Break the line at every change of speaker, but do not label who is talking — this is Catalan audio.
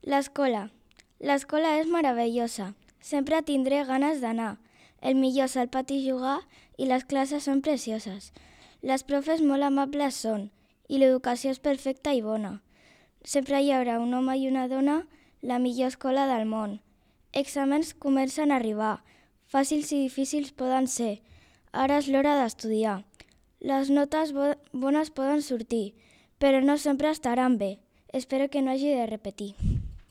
L'escola. L'escola és meravellosa. Sempre tindré ganes d'anar. El millor és al pati jugar i les classes són precioses. Les profes molt amables són i l'educació és perfecta i bona. Sempre hi haurà un home i una dona, la millor escola del món. Exàmens comencen a arribar. Fàcils i difícils poden ser. Ara és l'hora d'estudiar. Les notes bones poden sortir, però no sempre estaran bé. Espero que no hagi de repetir.